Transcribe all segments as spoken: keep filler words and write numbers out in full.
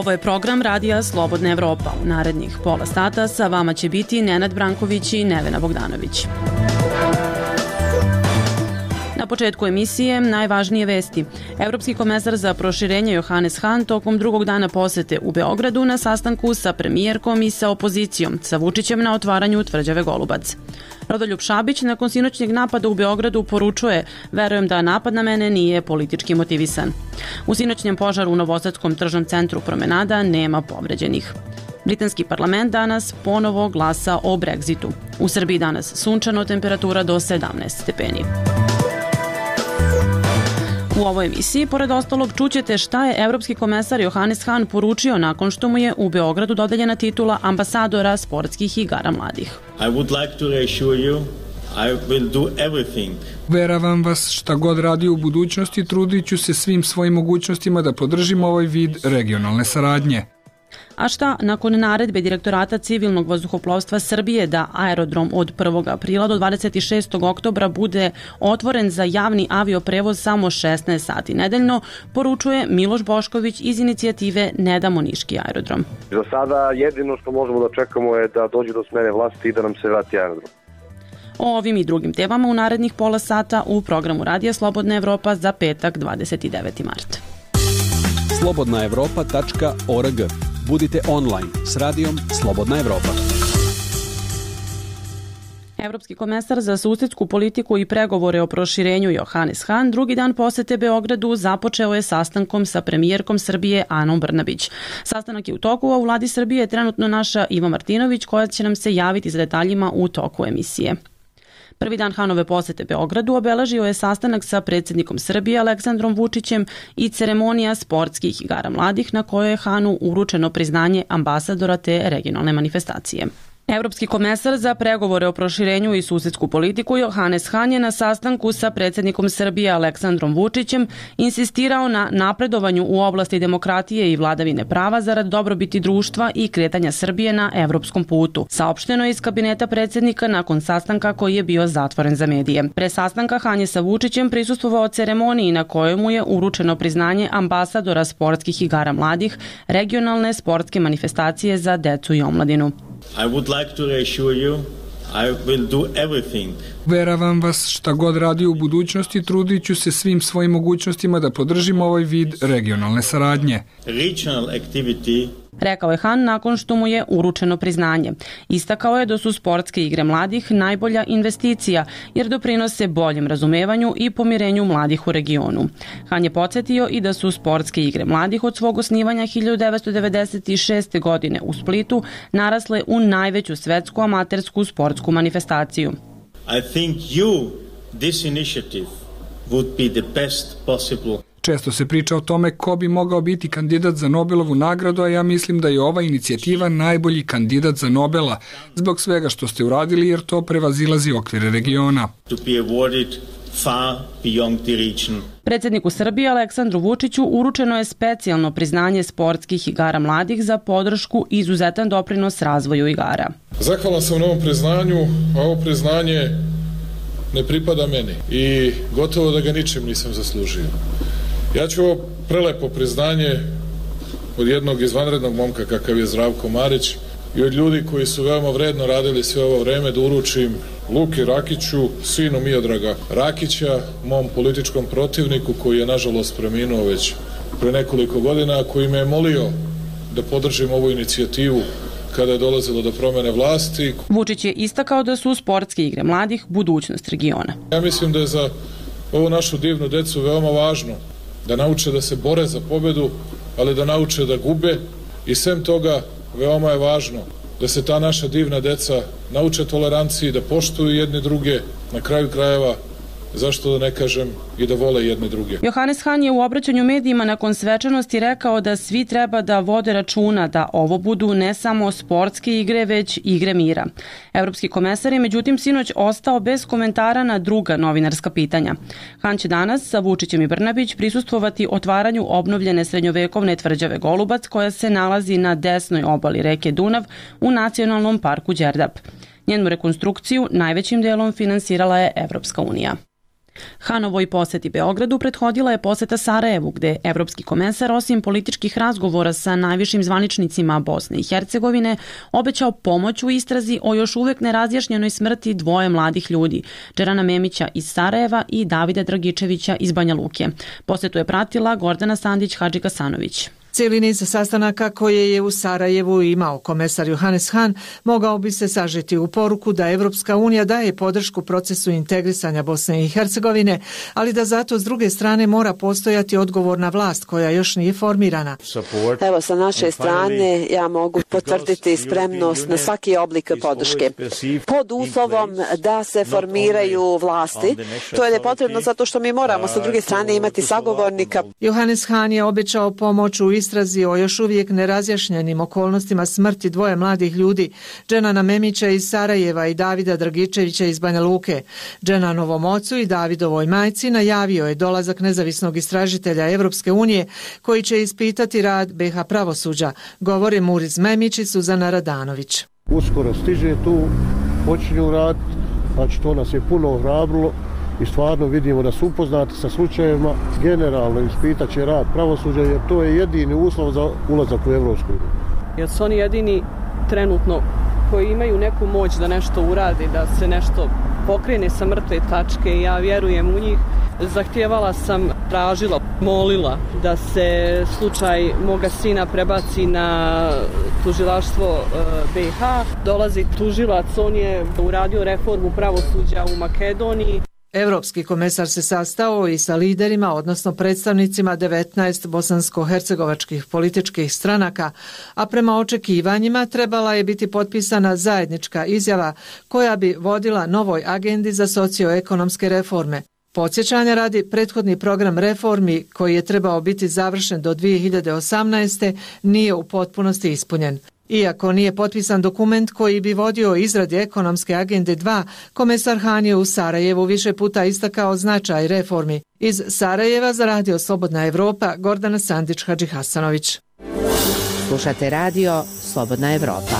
Ovo je program Radija Slobodna Evropa. U narednih pola sata sa vama će biti Nenad Branković i Nevena Bogdanović. Na početku emisije najvažnije vesti. Evropski komesar za proširenje Johannes Hahn tokom drugog dana posete u Beogradu na sastanku sa premijerkom i sa opozicijom, sa Vučićem na otvaranju tvrđave Golubac. Rodoljub Šabić nakon sinoćnjeg napada u Beogradu poručuje: verujem da napad na mene nije politički motivisan. U sinoćnjem požaru u Novosadskom tržnom centru Promenada nema povređenih. Britanski parlament danas ponovo glasa o Brexitu. U Srbiji danas sunčano, temperatura do sedamnaest stepeni. U ovoj emisiji, pored ostalog, čućete šta je evropski komesar Johannes Hahn poručio nakon što mu je u Beogradu dodeljena titula ambasadora sportskih igara mladih. I would like to reassure you, I will do everything. Veravam vas, šta god radi u budućnosti, trudit ću se svim svojim mogućnostima da podržim ovaj vid regionalne saradnje. A šta nakon naredbe Direktorata civilnog vazduhoplovstva Srbije da aerodrom od prvog aprila do dvadeset šestog oktobra bude otvoren za javni avioprevoz samo šesnaest sati nedeljno, poručuje Miloš Bošković iz inicijative Ne damo niški aerodrom. Za sada jedino što možemo da čekamo je da dođe do smene vlasti i da nam se vrati aerodrom. O ovim i drugim temama u narednih pola sata u programu Radija Slobodna Evropa za petak dvadeset deveti mart. slobodna evropa tačka org. Budite online s radijom Slobodna Evropa. Evropski komesar za susedsku politiku i pregovore o proširenju Johannes Hahn drugi dan posete Beogradu započeo je sastankom sa premijerkom Srbije Anom Brnabić. Sastanak je u toku, a u vladi Srbije je trenutno naša Iva Martinović, koja će nam se javiti za detaljima u toku emisije. Prvi dan Hanove posete Beogradu obeležio je sastanak sa predsjednikom Srbije Aleksandrom Vučićem i ceremonija sportskih igara mladih na kojoj je Hahnu uručeno priznanje ambasadora te regionalne manifestacije. Evropski komesar za pregovore o proširenju i susedsku politiku Johannes Hahn je na sastanku sa predsjednikom Srbije Aleksandrom Vučićem insistirao na napredovanju u oblasti demokratije i vladavine prava zarad dobrobiti društva i kretanja Srbije na evropskom putu, saopšteno je iz kabineta predsjednika nakon sastanka koji je bio zatvoren za medije. Pre sastanka Hahn je sa Vučićem prisustvovao ceremoniji na kojoj mu je uručeno priznanje ambasadora sportskih igara mladih, regionalne sportske manifestacije za decu i omladinu. I would like to reassure you, I will do everything. Veravam vas, šta god radi u budućnosti, trudit ću se svim svojim mogućnostima da podržim ovaj vid regionalne saradnje. Regional activity, rekao je Hahn nakon što mu je uručeno priznanje. Istakao je da su sportske igre mladih najbolja investicija jer doprinose boljem razumevanju i pomirenju mladih u regionu. Hahn je podsjetio i da su sportske igre mladih od svog osnivanja hiljadu devetsto devedeset šeste. godine u Splitu narasle u najveću svetsku amatersku sportsku manifestaciju. I think you, this initiative, would be the best possible. Često se priča o tome ko bi mogao biti kandidat za Nobelovu nagradu, a ja mislim da je ova inicijativa najbolji kandidat za Nobela, zbog svega što ste uradili, jer to prevazilazi okvire regiona. To be awarded far beyond the region. Predsjedniku Srbije Aleksandru Vučiću uručeno je specijalno priznanje sportskih igara mladih za podršku i izuzetan doprinos razvoju igara. Zahvalan sam na ovom priznanju, a ovo priznanje ne pripada meni i gotovo da ga ničim nisam zaslužio. Ja ću ovo prelepo priznanje od jednog izvanrednog momka kakav je Zdravko Marić i od ljudi koji su veoma vredno radili sve ovo vreme da uručim Luki Rakiću, sinu Miodraga Rakića, mom političkom protivniku koji je nažalost preminuo već pre nekoliko godina, koji me je molio da podržim ovu inicijativu kada je dolazilo do promene vlasti. Vučić je istakao da su sportske igre mladih budućnost regiona. Ja mislim da je za ovu našu divnu decu veoma važno da nauče da se bore za pobedu, ali da nauče da gube i sem toga veoma je važno da se ta naša divna deca nauče toleranciji, da poštuju jedni druge, na kraju krajeva, zašto da ne kažem, i da vole jedne druge. Johannes Hahn je u obraćanju medijima nakon svečanosti rekao da svi treba da vode računa da ovo budu ne samo sportske igre, već igre mira. Evropski komesar je međutim sinoć ostao bez komentara na druga novinarska pitanja. Hahn će danas sa Vučićem i Brnabić prisustvovati otvaranju obnovljene srednjovekovne tvrđave Golubac, koja se nalazi na desnoj obali reke Dunav u nacionalnom parku Đerdap. Njenu rekonstrukciju najvećim delom finansirala je Evropska unija. Hanovoj poseti Beogradu prethodila je poseta Sarajevu, gde evropski komesar osim političkih razgovora sa najvišim zvaničnicima Bosne i Hercegovine obećao pomoć u istrazi o još uvek nerazjašnjenoj smrti dvoje mladih ljudi, Džerana Memića iz Sarajeva i Davida Dragičevića iz Banja Luke. Posetu je pratila Gordana Sandić-Hadžikasanović. Cijeli niz sastanaka koje je u Sarajevu imao komesar Johannes Hahn mogao bi se sažeti u poruku da Evropska unija daje podršku procesu integrisanja Bosne i Hercegovine, ali da zato s druge strane mora postojati odgovorna vlast koja još nije formirana. Evo, sa naše strane ja mogu potvrditi spremnost na svaki oblik podrške. Pod uslovom da se formiraju vlasti, to je nepotrebno zato što mi moramo sa druge strane imati sagovornika. Johannes Hahn je obećao pomoć u istrazi o još uvijek nerazjašnjenim okolnostima smrti dvoje mladih ljudi, Dženana Memića iz Sarajeva i Davida Dragičevića iz Banja Luke. Dženanovom ocu i Davidovoj majci najavio je dolazak nezavisnog istražitelja Evropske unije koji će ispitati rad be ha pravosuđa, govore Muriz Memić i Suzana Radanović. Uskoro stiže tu, počinju rad, znači to nas je puno ohrabrilo i stvarno vidimo da su upoznati sa slučajevima, generalno ispitat će rad pravosuđa jer to je jedini uslov za ulazak u Evropsku uniju. Jer su oni jedini trenutno koji imaju neku moć da nešto uradi, da se nešto pokrene sa mrtve tačke i ja vjerujem u njih. Zahtijevala sam, tražila, molila da se slučaj moga sina prebaci na tužilaštvo be ha. Dolazi tužilac, on je uradio reformu pravosuđa u Makedoniji. Evropski komesar se sastao i sa liderima, odnosno predstavnicima devetnaest bosansko-hercegovačkih političkih stranaka, a prema očekivanjima trebala je biti potpisana zajednička izjava koja bi vodila novoj agendi za socioekonomske reforme. Podsjećanja radi, prethodni program reformi koji je trebao biti završen do dvije hiljade osamnaeste. nije u potpunosti ispunjen. Iako nije potpisan dokument koji bi vodio izradi ekonomske agende dva, komesar Hahn je u Sarajevu više puta istakao značaj reformi. Iz Sarajeva za radio Slobodna Evropa, Gordana Sandić-Hadžihasanović. Slušate radio Slobodna Evropa.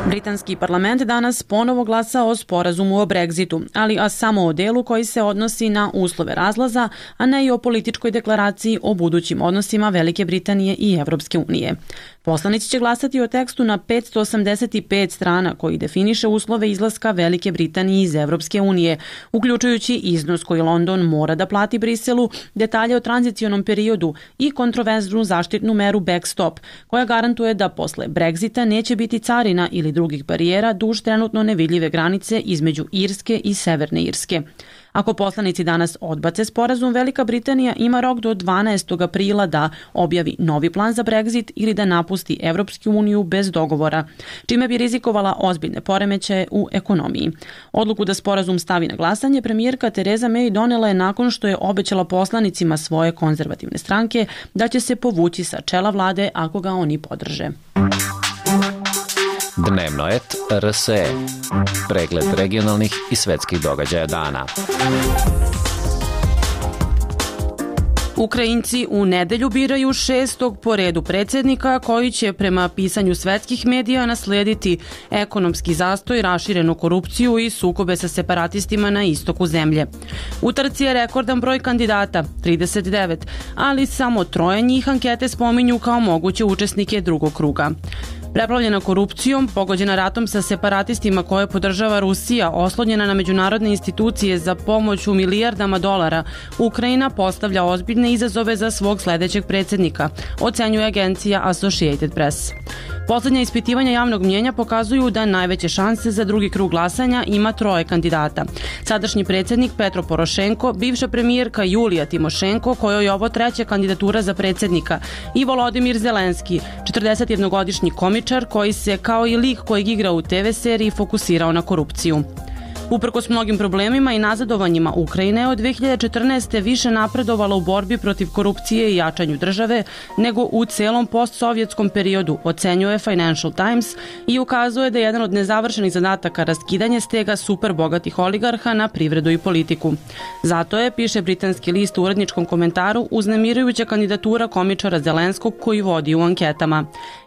Britanski parlament danas ponovo glasa o sporazumu o Brexitu, ali a samo o delu koji se odnosi na uslove razlaza, a ne i o političkoj deklaraciji o budućim odnosima Velike Britanije i Evropske unije. Poslanici će glasati o tekstu na petsto osamdeset pet strana koji definiše uslove izlaska Velike Britanije iz Evropske unije, uključujući iznos koji London mora da plati Briselu, detalje o tranzicionom periodu i kontroverznu zaštitnu meru backstop, koja garantuje da posle Brexita neće biti carina ili drugih barijera duž trenutno nevidljive granice između Irske i Severne Irske. Ako poslanici danas odbace sporazum, Velika Britanija ima rok do dvanaestog aprila da objavi novi plan za Brexit ili da napusti Evropsku uniju bez dogovora, čime bi rizikovala ozbiljne poremećaje u ekonomiji. Odluku da sporazum stavi na glasanje premijerka Tereza May donela je nakon što je obećala poslanicima svoje konzervativne stranke da će se povući sa čela vlade ako ga oni podrže. Dnevnoet er es e. Pregled regionalnih i svetskih događaja dana. Ukrajinci u nedelju biraju šestog po redu predsjednika koji će prema pisanju svetskih medija naslijediti ekonomski zastoj, raširenu korupciju i sukobe sa separatistima na istoku zemlje. U trci je rekordan broj kandidata, trideset devet, ali samo troje njih ankete spominju kao moguće učesnike drugog kruga. Preplavljena korupcijom, pogođena ratom sa separatistima koje podržava Rusija, oslonjena na međunarodne institucije za pomoć u milijardama dolara, Ukrajina postavlja ozbiljne izazove za svog sledećeg predsjednika, ocenjuje agencija Associated Press. Poslednja ispitivanja javnog mnjenja pokazuju da najveće šanse za drugi krug glasanja ima troje kandidata. Sadašnji predsjednik Petro Porošenko, bivša premijerka Julija Timošenko, kojoj je ovo treća kandidatura za predsjednika, i Volodimir Zelenski, četrdesetjednogodišnji komičar koji se, kao i lik kojeg igra u te ve seriji, fokusirao na korupciju. Uprkos mnogim problemima i nazadovanjima, Ukrajina je od dve hiljade četrnaeste. više napredovala u borbi protiv korupcije i jačanju države nego u celom postsovjetskom periodu, ocenjuje Financial Times i ukazuje da je jedan od nezavršenih zadataka raskidanje stega superbogatih oligarha na privredu i politiku. Zato je, piše britanski list u uredničkom komentaru, uznemirujuća kandidatura komičara Zelenskog koji vodi u anketama.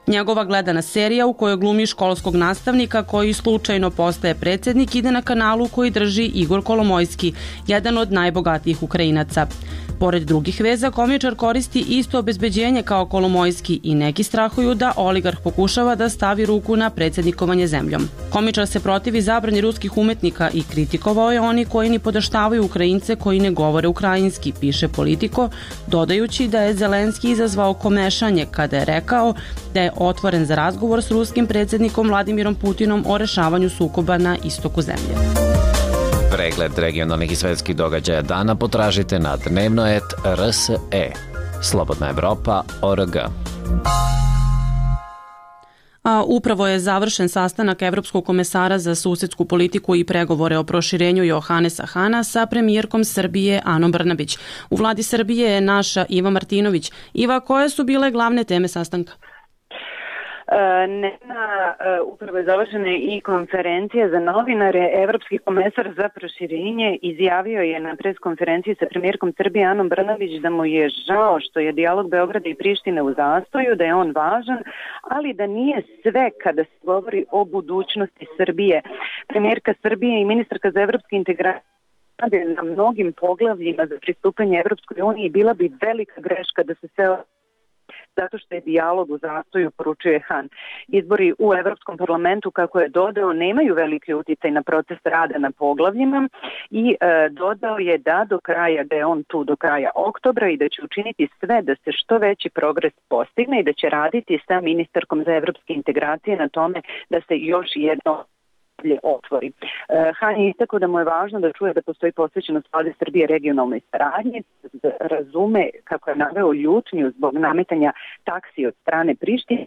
Njegova gledana serija u kojoj glumi školskog nastavnika koji slučajno postaje predsjednik ide na kanalu koji drži Igor Kolomojski, jedan od najbogatijih Ukrajinaca. Pored drugih veza, komičar koristi isto obezbeđenje kao Kolomojski i neki strahuju da oligarh pokušava da stavi ruku na predsjednikovanje zemljom. Komičar se protivi zabrani ruskih umetnika i kritikovao je oni koji ni podaštavaju Ukrajince koji ne govore ukrajinski, piše Politiko, dodajući da je Zelenski izazvao komešanje kada je rekao da je otvoren za razgovor s ruskim predsjednikom Vladimirom Putinom o rešavanju sukoba na istoku zemlje. Pregled regionalnih i svetskih događaja dana potražite na dnevnoet R S E. Slobodna Evropa tačka org. A upravo je završen sastanak Evropskog komesara za susedsku politiku i pregovore o proširenju Johanesa Hana sa premijerkom Srbije Anom Brnabić. U vladi Srbije je naša Iva Martinović. Iva, koje su bile glavne teme sastanka? Nema, upravo je završena i konferencija za novinare. Evropski komesar za proširenje izjavio je na preskonferenciji sa premijerkom Srbije Anom Brnabić da mu je žao što je dijalog Beograda i Prištine u zastoju, da je on važan, ali da nije sve kada se govori o budućnosti Srbije. Premijerka Srbije i ministarka za evropske integracije na mnogim poglavljima za pristupanje Evropskoj uniji, bila bi velika greška da se sve zato što je dijalog u zastoju, poručuje Han. Izbori u Evropskom parlamentu, kako je dodao, nemaju veliki uticaj na proces rada na poglavljima i e, dodao je da do kraja, da je on tu do kraja oktobra i da će učiniti sve da se što veći progres postigne i da će raditi sa ministarkom za evropske integracije na tome da se još jedno otvori. Han je istakao da mu je važno da čuje da postoji posvećenost vlade Srbije regionalnoj saradnji, razume kako je naveo ljutnju zbog nametanja taksi od strane Prištine,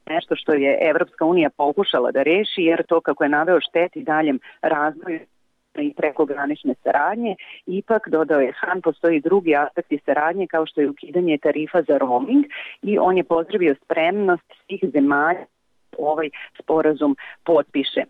nešto što je Evropska unija pokušala da reši, jer to, kako je naveo, šteti daljem razvoju i prekogranične saradnje. Ipak, dodao je Han, postoji drugi aspekti saradnje kao što je ukidanje tarifa za roaming i on je pozdravio spremnost svih zemalja ovaj sporazum potpiše. E,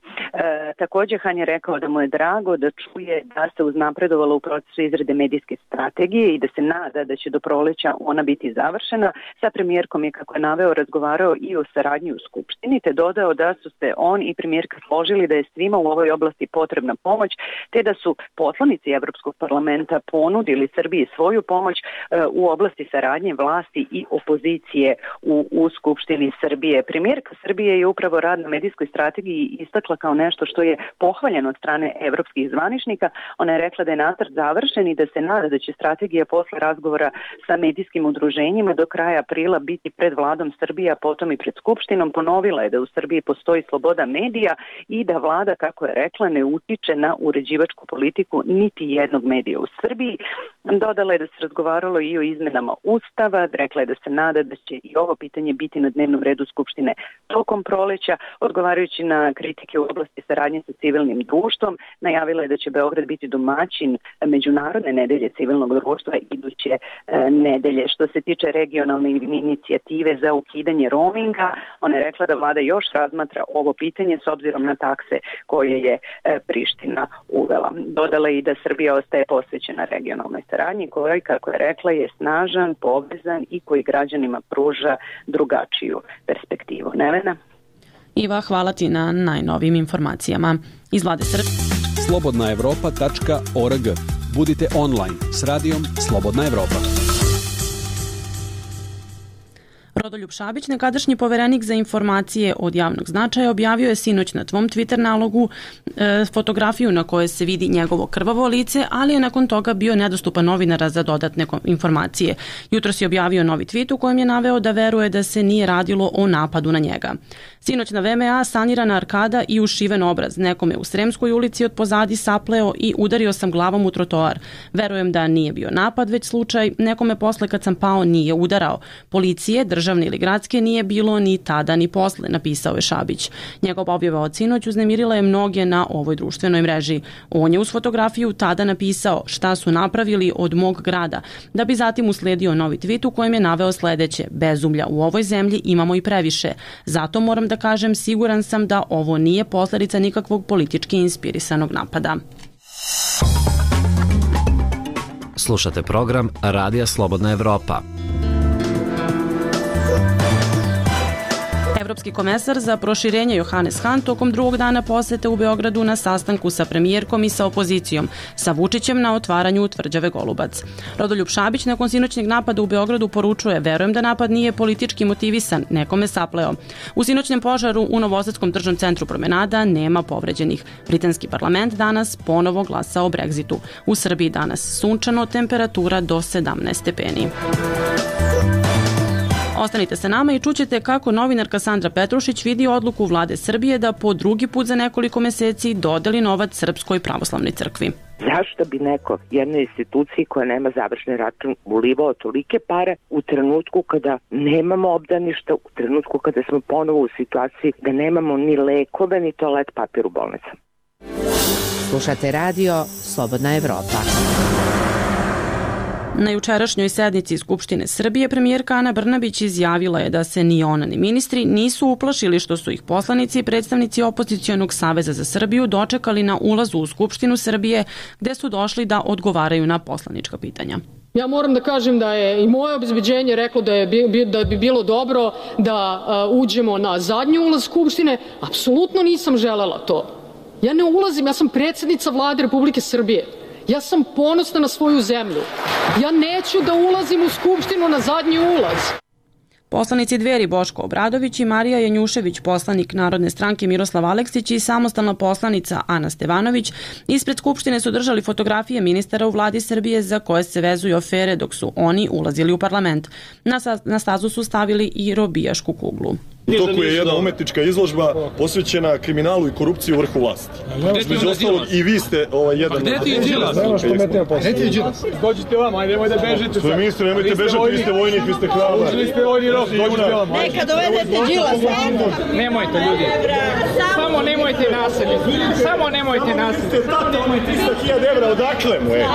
također Han je rekao da mu je drago da čuje da se uznapredovalo u procesu izrade medijske strategije i da se nada da će do proleća ona biti završena. Sa premijerkom je, kako je naveo, razgovarao i o saradnji u Skupštini, te dodao da su se on i premijerka složili da je svima u ovoj oblasti potrebna pomoć, te da su poslanici Evropskog parlamenta ponudili Srbiji svoju pomoć e, u oblasti saradnje vlasti i opozicije u, u Skupštini Srbije. Premijerka Srbije je upravo rad na medijskoj strategiji istakla kao nešto što je pohvaljeno od strane evropskih zvaničnika. Ona je rekla da je nacrt završen i da se nada da će strategija posle razgovora sa medijskim udruženjima do kraja aprila biti pred vladom Srbije, a potom i pred Skupštinom. Ponovila je da u Srbiji postoji sloboda medija i da vlada, kako je rekla, ne utiče na uređivačku politiku niti jednog medija u Srbiji. Dodala je da se razgovaralo i o izmenama Ustava, rekla je da se nada da će i ovo pitanje biti na dnevnom redu Skupštine tokom proleća. Odgovarajući na kritike u oblasti saradnje sa civilnim društvom, najavila je da će Beograd biti domaćin Međunarodne nedelje civilnog društva iduće e, nedelje. Što se tiče regionalne inicijative za ukidanje roaminga, ona je rekla da vlada još razmatra ovo pitanje s obzirom na takse koje je e, Priština uvela. Dodala je i da Srbija ostaje posvećena regionalnoj saradnji koji, kako je rekla, je snažan, povezan i koji građanima pruža drugačiju perspektivu. Nevena? Iva, hvala ti na najnovijim informacijama. Iz vlade Srbije. slobodna evropa tačka org. Budite online s radijom Slobodna Evropa. Rodoljub Šabić, nekadašnji poverenik za informacije od javnog značaja, objavio je sinoć na tvom Twitter nalogu e, fotografiju na kojoj se vidi njegovo krvavo lice, ali je nakon toga bio nedostupan novinara za dodatne informacije. Jutros je objavio novi tweet u kojem je naveo da veruje da se nije radilo o napadu na njega. Sinoć na V M A sanirana arkada i ušiven obraz. Nekome u Sremskoj ulici od pozadi sapleo i udario sam glavom u trotoar. Verujem da nije bio napad, već slučaj. Nekome posle kad sam pao nije udarao. Policije, državne ili gradske nije bilo ni tada ni posle, napisao je Šabić. Njegov objava od sinoć uznemirila je mnoge na ovoj društvenoj mreži. On je uz fotografiju tada napisao šta su napravili od mog grada, da bi zatim usledio novi tweet u kojem je naveo sledeće: bezumlja u ovoj zemlji imamo i previše. Zato moram da kažem, siguran sam da ovo nije posledica nikakvog politički inspirisanog napada. Slušate program Radija Slobodna Evropa. Evropski komesar za proširenje Johannes Hahn tokom drugog dana posete u Beogradu na sastanku sa premijerkom i sa opozicijom, sa Vučićem na otvaranju tvrđave Golubac. Rodoljub Šabić nakon sinoćnjeg napada u Beogradu poručuje: verujem da napad nije politički motivisan, nekome sapleo. U sinoćnjem požaru u Novosadskom tržnom centru Promenada nema povređenih. Britanski parlament danas ponovo glasa o Brexitu. U Srbiji danas sunčano, temperatura do sedamnaest stepeni. Ostanite sa nama i čućete kako novinarka Sandra Petrušić vidi odluku vlade Srbije da po drugi put za nekoliko meseci dodeli novac Srpskoj pravoslavnoj crkvi. Zašto bi neko jednoj instituciji koja nema završni račun ulivao tolike pare u trenutku kada nemamo obdaništa, u trenutku kada smo ponovo u situaciji da nemamo ni lekove ni toalet papir u bolnicama? Slušate radio Slobodna Evropa. Na jučerašnjoj sednici Skupštine Srbije premijerka Ana Brnabić izjavila je da se ni ona ni ministri nisu uplašili što su ih poslanici i predstavnici opozicionog Saveza za Srbiju dočekali na ulazu u Skupštinu Srbije, gde su došli da odgovaraju na poslanička pitanja. Ja moram da kažem da je i moje obezbeđenje reklo da, je, da bi bilo dobro da uh, uđemo na zadnji ulaz Skupštine. Apsolutno nisam želela to. Ja ne ulazim, ja sam predsjednica Vlade Republike Srbije. Ja sam ponosna na svoju zemlju. Ja neću da ulazim u Skupštinu na zadnji ulaz. Poslanici Dveri Boško Obradović i Marija Janjušević, poslanik Narodne stranke Miroslav Aleksić i samostalna poslanica Ana Stevanović ispred Skupštine su držali fotografije ministara u vladi Srbije za koje se vezuju afere dok su oni ulazili u parlament. Na, na stazu su stavili i robijašku kuglu. U toku je jedna umetnička izložba posvećena kriminalu i korupciji u vrhu vlasti. Među ostalog i vi ste ovaj jedan... A gde ti je Đilas? Gde ti je Đilas? Dođite vam, ajde, nemoj da bežite. Sve ministre, nemojte bežati, vi ste vojnik, vi ste hrabar. Ušli ste vojni rok, dođite vam. Neka dovedete Đilas. Nemojte, ljudi. Samo nemojte nasilje. Samo nemojte nasilje. trista hiljada evra, odakle mu je?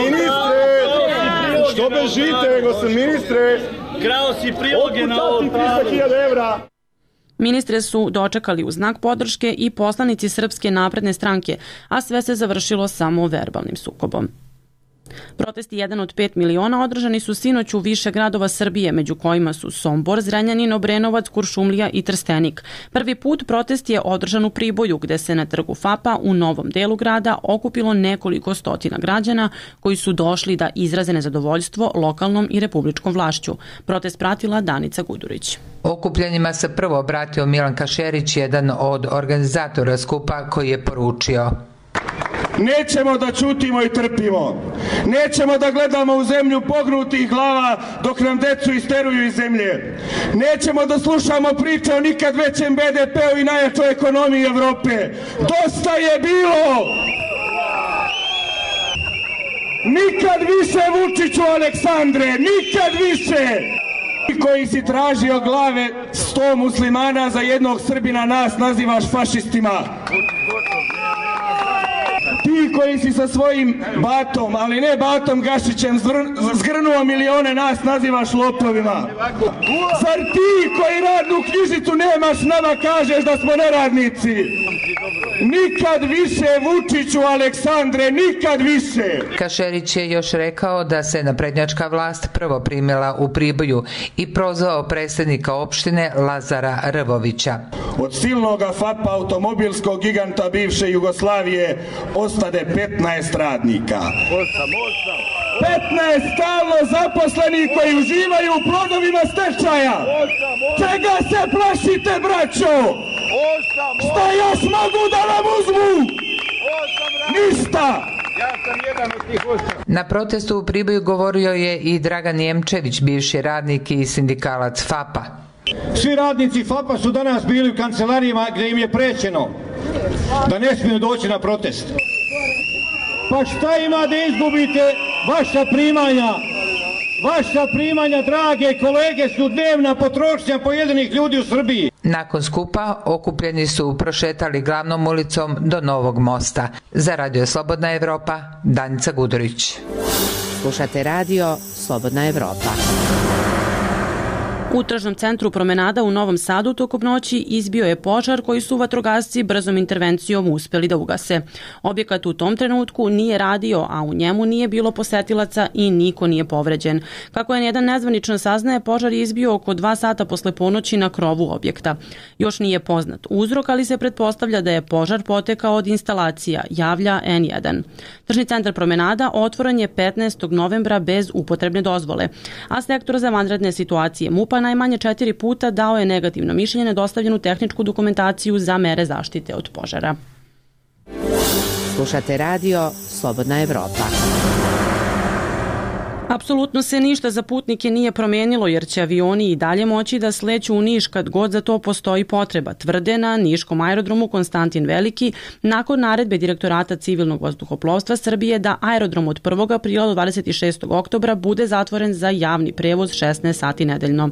Ministre! Što bežite, nego sam ministre? Krao si priloge na ovom evra. Ministre su dočekali u znak podrške i poslanici Srpske napredne stranke, a sve se završilo samo verbalnim sukobom. Protesti jedan od pet miliona održani su sinoć u više gradova Srbije, među kojima su Sombor, Zrenjanin, Obrenovac, Kuršumlija i Trstenik. Prvi put protest je održan u Priboju, gde se na trgu Fapa u novom delu grada okupilo nekoliko stotina građana koji su došli da izraze nezadovoljstvo lokalnom i republičkom vlašću. Protest pratila Danica Gudurić. Okupljenjima se prvo obratio Milan Kašerić, jedan od organizatora skupa, koji je poručio: nećemo da ćutimo i trpimo. Nećemo da gledamo u zemlju pognutih glava dok nam decu isteruju iz zemlje. Nećemo da slušamo priče o nikad većem be de peu i najjačoj ekonomiji Evrope. Dosta je bilo! Nikad više, Vučiću Aleksandre, nikad više! Koji si tražio glave sto muslimana za jednog Srbina, nas nazivaš fašistima. Ti koji si sa svojim batom, ali ne batom Gašićem, zgrnuo milione, nas nazivaš lopovima. Zar ti koji radnu knjižicu nemaš, nama kažeš da smo neradnici? Nikad više, Vučiću Aleksandre, nikad više. Kašerić je još rekao da se naprednjačka vlast prvo primila u Priboju i prozvao predsjednika opštine Lazara Rvovića. Od silnoga Fapa, automobilskog giganta bivše Jugoslavije, ostade petnaest radnika. petnaest stalno zaposlenih koji uživaju u plodovima stečaja. Čega se plašite, braćo? Šta još mogu da vam uzmu? Ništa! Na protestu u Priboju govorio je i Dragan Jemčević, bivši radnik i sindikalac Fapa. Svi radnici Fapa su danas bili u kancelarijama gdje im je prećeno da ne smiju doći na protest. Pa šta ima da izgubite vaša primanja? Vaša primanja, drage kolege, su dnevna potrošnja pojedinih ljudi u Srbiji. Nakon skupa okupljeni su prošetali glavnom ulicom do Novog mosta. Za Radio Slobodna Evropa, Danica Gudurić. Slušate radio Slobodna Evropa. U tržnom centru Promenada u Novom Sadu tokom noći izbio je požar koji su vatrogasci brzom intervencijom uspeli da ugase. Objekat u tom trenutku nije radio, a u njemu nije bilo posetilaca i niko nije povređen. Kako je jedan nezvanično saznaje, požar je izbio oko dva sata posle ponoći na krovu objekta. Još nije poznat uzrok, ali se pretpostavlja da je požar potekao od instalacija, javlja en jedan. Tržni centar Promenada otvoren je petnaestog novembra bez upotrebne dozvole, a sektor za vanredne situacije MUP-a najmanje četiri puta dao je negativno mišljenje na dostavljenu tehničku dokumentaciju za mere zaštite od požara. Slušate radio Slobodna Evropa. Apsolutno se ništa za putnike nije promenilo jer će avioni i dalje moći da sleću u Niš kad god za to postoji potreba, tvrde na niškom aerodromu Konstantin Veliki nakon naredbe Direktorata civilnog vazduhoplovstva Srbije da aerodrom od prvog aprila do dvadeset šestog oktobra bude zatvoren za javni prevoz šesnaest sati nedeljno.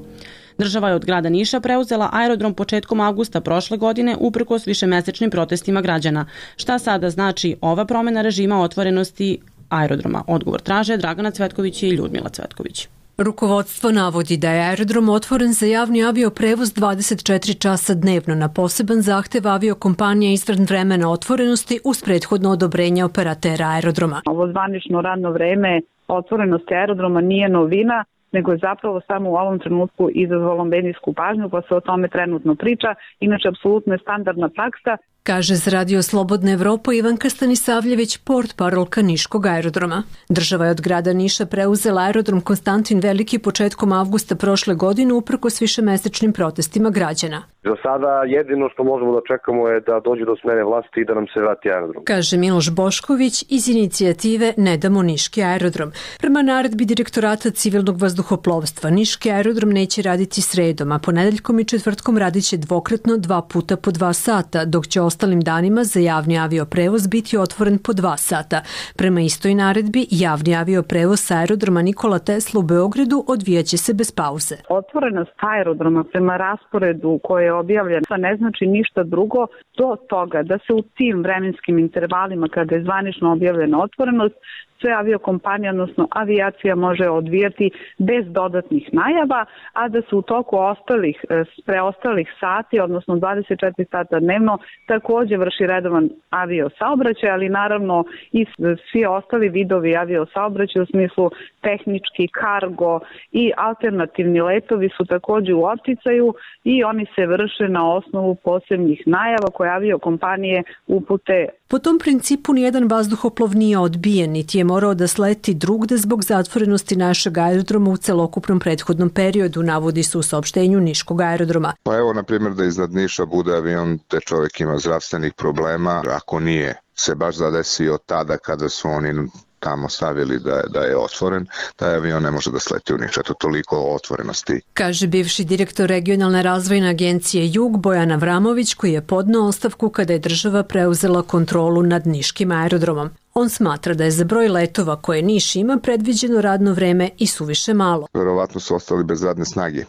Država je od grada Niša preuzela aerodrom početkom avgusta prošle godine uprkos višemesečnim protestima građana. Šta sada znači ova promena režima otvorenosti aerodroma? Odgovor traže Dragana Cvetković i Ljudmila Cvetković. Rukovodstvo navodi da je aerodrom otvoren za javni avioprevoz dvadeset četiri časa dnevno na poseban zahtev aviokompanije izvan vremena otvorenosti uz prethodno odobrenje operatera aerodroma. Ovo zvanično radno vreme otvorenosti aerodroma nije novina, nego je zapravo samo u ovom trenutku izazvalo medijsku pažnju, pa se o tome trenutno priča. Inače, apsolutno je standardna praksa. Kaže za Radio Slobodna Evropa Ivanka Stanisavljević, portparolka Niškog aerodroma. Država je od grada Niša preuzela aerodrom Konstantin Veliki početkom avgusta prošle godine uprkos višemesečnim protestima građana. Za sada jedino što možemo da čekamo je da dođe do smene vlasti i da nam se vrati aerodrom. Kaže Miloš Bošković iz inicijative Ne damo Niški aerodrom. Prema naredbi Direktorata civilnog vazduhoplovstva, Niški aerodrom neće raditi sredom, a ponedeljkom i četvrtkom radit će dvokratno dva puta po dva sata, dok će ostalim danima za javni avioprevoz biti otvoren po dva sata. Prema istoj naredbi, javni avioprevoz sa aerodroma Nikola Tesla u Beogradu odvijaće se bez pauze. Otvorenost aerodroma prema rasporedu koje je objavljen ne znači ništa drugo do toga da se u tim vremenskim intervalima kada je zvanično objavljena otvorenost sve aviokompanije, odnosno avijacija može odvijati bez dodatnih najava, a da se u toku ostalih, preostalih sati, odnosno dvadeset četiri sata dnevno, takođe vrši redovan aviosaobraćaj, ali naravno i svi ostali vidovi aviosaobraćaja u smislu tehnički, kargo i alternativni letovi su takođe u opticaju i oni se vrše na osnovu posebnih najava koje aviokompanije upute. Po tom principu nijedan vazduhoplov nije odbijen, niti je morao da sleti drugde zbog zatvorenosti našeg aerodroma u celokupnom prethodnom periodu, navodi se u saopštenju Niškog aerodroma. Pa evo, na primjer, da iznad Niša bude avion te čovjek ima zdravstvenih problema, ako nije se baš zadesio tada kada su oni tamo stavili da, da je otvoren, taj avion ne može da sleti u Niš. Eto, toliko o otvorenosti. Kaže bivši direktor regionalne razvojne agencije Jug Bojan Avramović, koji je podneo ostavku kada je država preuzela kontrolu nad Niškim aerodromom. On smatra da je za broj letova koje Niš ima predviđeno radno vreme i suviše malo. Verovatno su ostali bez radne snage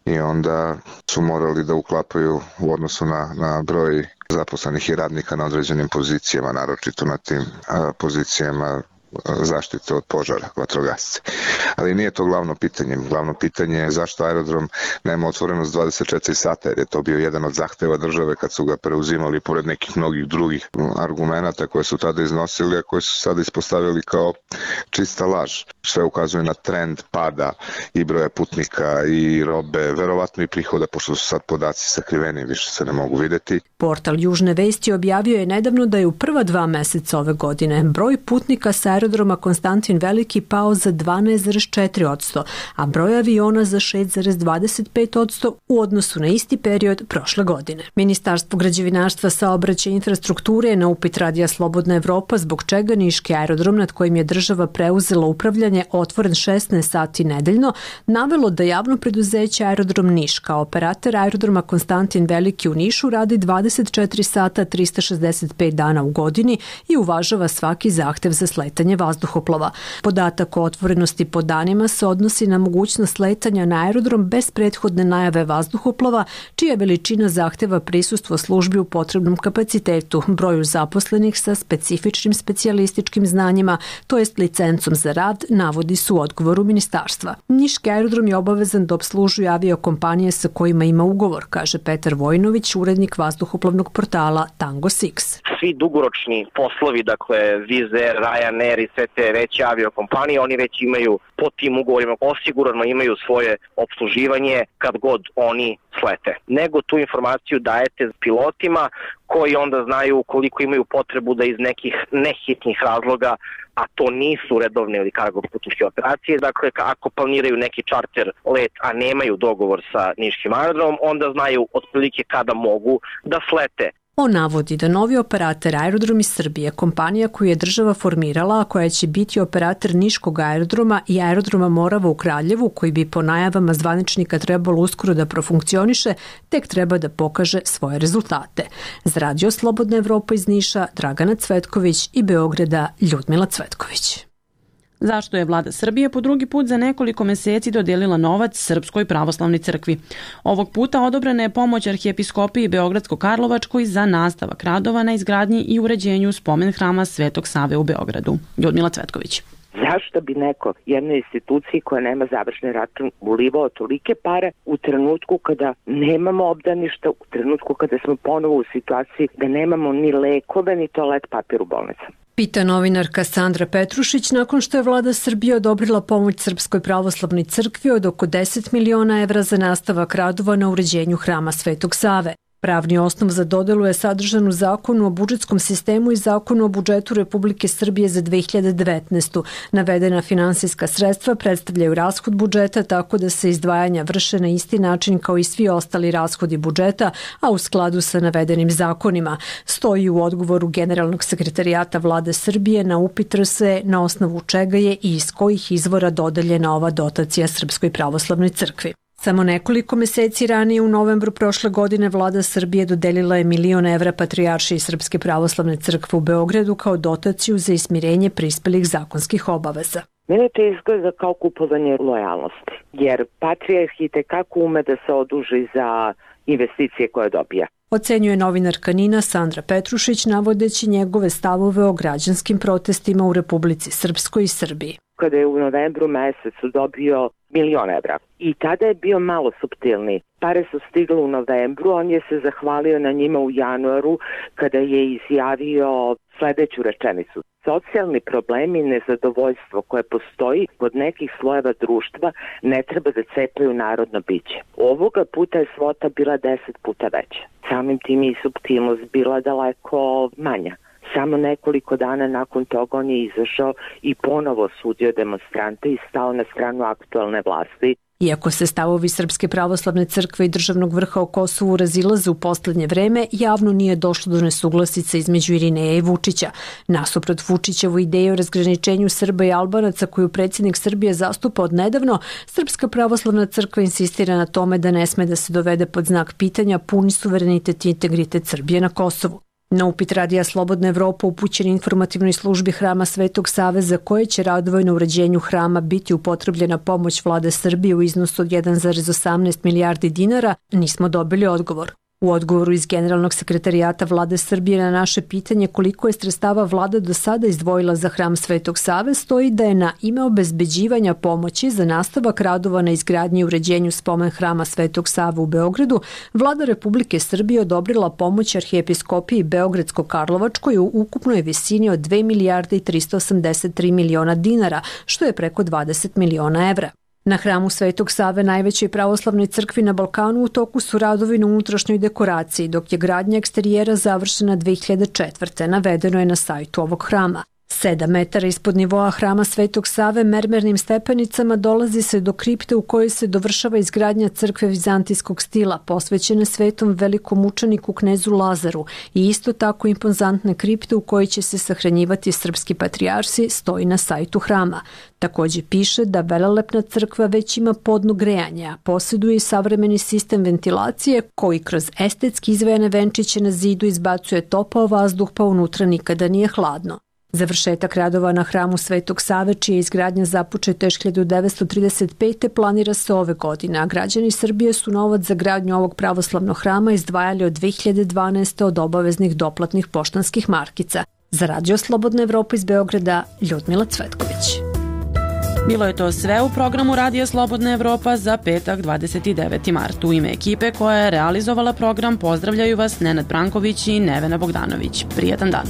i onda su morali da uklapaju u odnosu na, na broj zaposlenih i radnika na određenim pozicijama, naročito na tim a, pozicijama zaštite od požara, vatrogasci. Ali nije to glavno pitanje. Glavno pitanje je zašto aerodrom nema otvorenost dvadeset četiri sata, jer je to bio jedan od zahteva države kad su ga preuzimali pored nekih mnogih drugih argumenata koje su tada iznosili, a koje su sada ispostavili kao čista laž. Sve ukazuje na trend pada i broja putnika i robe, verovatno i prihoda, pošto su sad podaci sakriveni, više se ne mogu videti. Portal Južne vesti objavio je nedavno da je u prva dva meseca ove godine broj putnika sa aerodroma Konstantin Veliki pao za dvanaest zarez četiri posto, a broj aviona za šest zarez dvadeset pet posto u odnosu na isti period prošle godine. Ministarstvo građevinarstva, saobraćaja i infrastrukture je na upit Radija Slobodna Evropa zbog čega Niški aerodrom nad kojim je država preuzela upravljanje otvoren šesnaest sati nedeljno, navelo da javno preduzeće Aerodrom Niš kao operator aerodroma Konstantin Veliki u Nišu radi dvadeset četiri sata trista šezdeset pet dana u godini i uvažava svaki zahtev za sletanje sletanje vazduhoplova. Podatak o otvorenosti po danima se odnosi na mogućnost sletanja na aerodrom bez prethodne najave vazduhoplova, čija veličina zahteva prisustvo službi u potrebnom kapacitetu, broju zaposlenih sa specifičnim specijalističkim znanjima, to jest licencom za rad, navodi su u odgovoru ministarstva. Niški aerodrom je obavezan da obslužuje aviokompanije sa kojima ima ugovor, kaže Petar Vojinović, urednik vazduhoplovnog portala Tango Six. Svi dugoročni poslovi, dakle Wizz Air, Ryanair i sve te veće aviokompanije, oni već imaju po tim ugovorima osigurano imaju svoje obsluživanje kad god oni slete. Nego tu informaciju dajete pilotima koji onda znaju koliko imaju potrebu da iz nekih nehitnih razloga, a to nisu redovne ili cargo putničke operacije, dakle ako planiraju neki čarter let, a nemaju dogovor sa niškim aerodromom, onda znaju otprilike kada mogu da slete. On navodi da novi operator Aerodromi Srbije, kompanija koju je država formirala, a koja će biti operator Niškog aerodroma i aerodroma Morava u Kraljevu, koji bi po najavama zvaničnika trebalo uskoro da profunkcioniše, tek treba da pokaže svoje rezultate. Za Radio Slobodna Evropa iz Niša, Dragana Cvetković i Beograda, Ljudmila Cvetković. Zašto je vlada Srbije po drugi put za nekoliko meseci dodelila novac Srpskoj pravoslavnoj crkvi? Ovog puta odobrena je pomoć arhijepiskopiji Beogradsko-Karlovačkoj za nastavak radova na izgradnji i uređenju spomen hrama Svetog Save u Beogradu. Ljudmila Cvetković. Zašto bi neko jednoj instituciji koja nema završni račun ulivao tolike pare u trenutku kada nemamo obdaništa, u trenutku kada smo ponovo u situaciji da nemamo ni lekove ni toalet papir u bolnicama? Pita novinarka Sandra Petrušić nakon što je vlada Srbije odobrila pomoć Srpskoj pravoslavnoj crkvi od oko deset miliona evra za nastavak radova na uređenju hrama Svetog Save. Pravni osnov za dodelu je sadržan u Zakonu o budžetskom sistemu i Zakonu o budžetu Republike Srbije za dve hiljade devetnaestu. Navedena finansijska sredstva predstavljaju rashod budžeta tako da se izdvajanja vrše na isti način kao i svi ostali rashodi budžeta, a u skladu sa navedenim zakonima. Stoji u odgovoru Generalnog sekretarijata vlade Srbije na upit R S E na osnovu čega je i iz kojih izvora dodeljena ova dotacija Srpskoj pravoslavnoj crkvi. Samo nekoliko meseci ranije u novembru prošle godine vlada Srbije dodelila je milion evra Patrijaršiji Srpske pravoslavne crkve u Beogradu kao dotaciju za ismirenje prispelih zakonskih obaveza. Mene to izgleda kao kupovanje lojalnosti, jer Patrijarh i tekako ume da se oduži za investicije koje dobija. Ocenjuje novinarka Nina Sandra Petrušić navodeći njegove stavove o građanskim protestima u Republici Srpskoj i Srbiji. Kada je u novembru mesecu dobio milion evra i tada je bio malo suptilni. Pare su stigle u novembru, on je se zahvalio na njima u januaru kada je izjavio sledeću rečenicu. Socijalni problemi i nezadovoljstvo koje postoji kod nekih slojeva društva ne treba da cepaju narodno biće. Ovoga puta je svota bila deset puta veća. Samim tim i suptilnost bila daleko manja. Samo nekoliko dana nakon toga on je izašao i ponovo sudio demonstrante i stao na stranu aktualne vlasti. Iako se stavovi Srpske pravoslavne crkve i državnog vrha o Kosovu razilaze u poslednje vreme, javno nije došlo do nesuglasica između Irineja i Vučića. Nasuprot Vučićevu ideju o razgraničenju Srba i Albanaca koju predsjednik Srbije zastupa od nedavno, Srpska pravoslavna crkva insistira na tome da ne sme da se dovede pod znak pitanja puni suverenitet i integritet Srbije na Kosovu. Na upit Radija Slobodna Evropa upućen informativnoj službi Hrama Svetog Save za koje će radovoj na uređenju hrama biti upotrebljena pomoć vlade Srbije u iznosu od jedan zarez osamnaest milijardi dinara, nismo dobili odgovor. U odgovoru iz Generalnog sekretarijata vlade Srbije na naše pitanje koliko je sredstava vlada do sada izdvojila za Hram Svetog Save stoji da je na ime obezbeđivanja pomoći za nastavak radova na izgradnji i uređenju spomen Hrama Svetog Save u Beogradu vlada Republike Srbije odobrila pomoć arhijepiskopiji Beogradsko-Karlovačkoj u ukupnoj visini od dve milijarde i tristo osamdeset tri miliona dinara, što je preko dvadeset miliona evra. Na Hramu Svetog Save, najvećoj pravoslavnoj crkvi na Balkanu, u toku su radovi na unutrašnjoj dekoraciji, dok je gradnja eksterijera završena dve hiljade četvrte. Navedeno je na sajtu ovog hrama. Sedam metara ispod nivoa Hrama Svetog Save mermernim stepenicama dolazi se do kripte u kojoj se dovršava izgradnja crkve vizantijskog stila, posvećene svetom velikom mučeniku knezu Lazaru i isto tako impozantne kripte u kojoj će se sahranjivati srpski patrijarsi, stoji na sajtu hrama. Također piše da velelepna crkva već ima podno grejanje, a posjeduje i savremeni sistem ventilacije koji kroz estetski izvejane venčiće na zidu izbacuje topao vazduh pa unutra nikada nije hladno. Završetak radova na hramu Svetog Save, čija je izgradnja započeta još hiljadu devetsto trideset pete. planira se ove godine, a građani Srbije su novac za gradnju ovog pravoslavnog hrama izdvajali od dve hiljade dvanaeste. od obaveznih doplatnih poštanskih markica. Za Radio Slobodna Evropa iz Beograda, Ljudmila Cvetković. Bilo je to sve u programu Radija Slobodna Evropa za petak dvadeset deveti mart. U ime ekipe koja je realizovala program pozdravljaju vas Nenad Branković i Nevena Bogdanović. Prijatan dan.